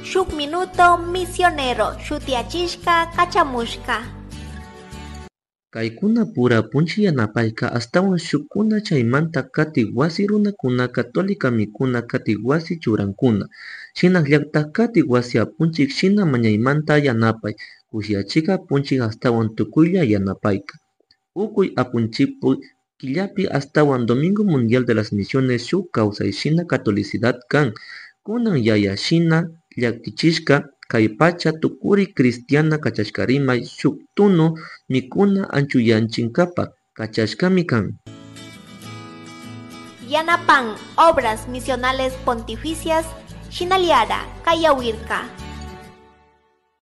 Shuk Minuto Misionero shutiyachishka kachamushka. Kaykuna pura apunchik yanapayka ashtawan shukkuna chaymanta katik wasi runakuna Católica mikuna katik wasi churankuna, shinallatak katik wasi apunchik shina mañaymanta yanapay, kushiyachika apunchik ashtawan tukuylla yanapayka. Ukuy apunchikpu killapi ashtawan Domingo Mundial de las Misiones shuk kawsay shina catolicidad kan, kunan yaya shina llakichishka kay pacha tukuri cristiana kachashkarimay shuk tunu mikuna anchuyachinkapa kachashkami kan. Yanapan Obras Misionales Pontificias Shinaliara Kayawirka.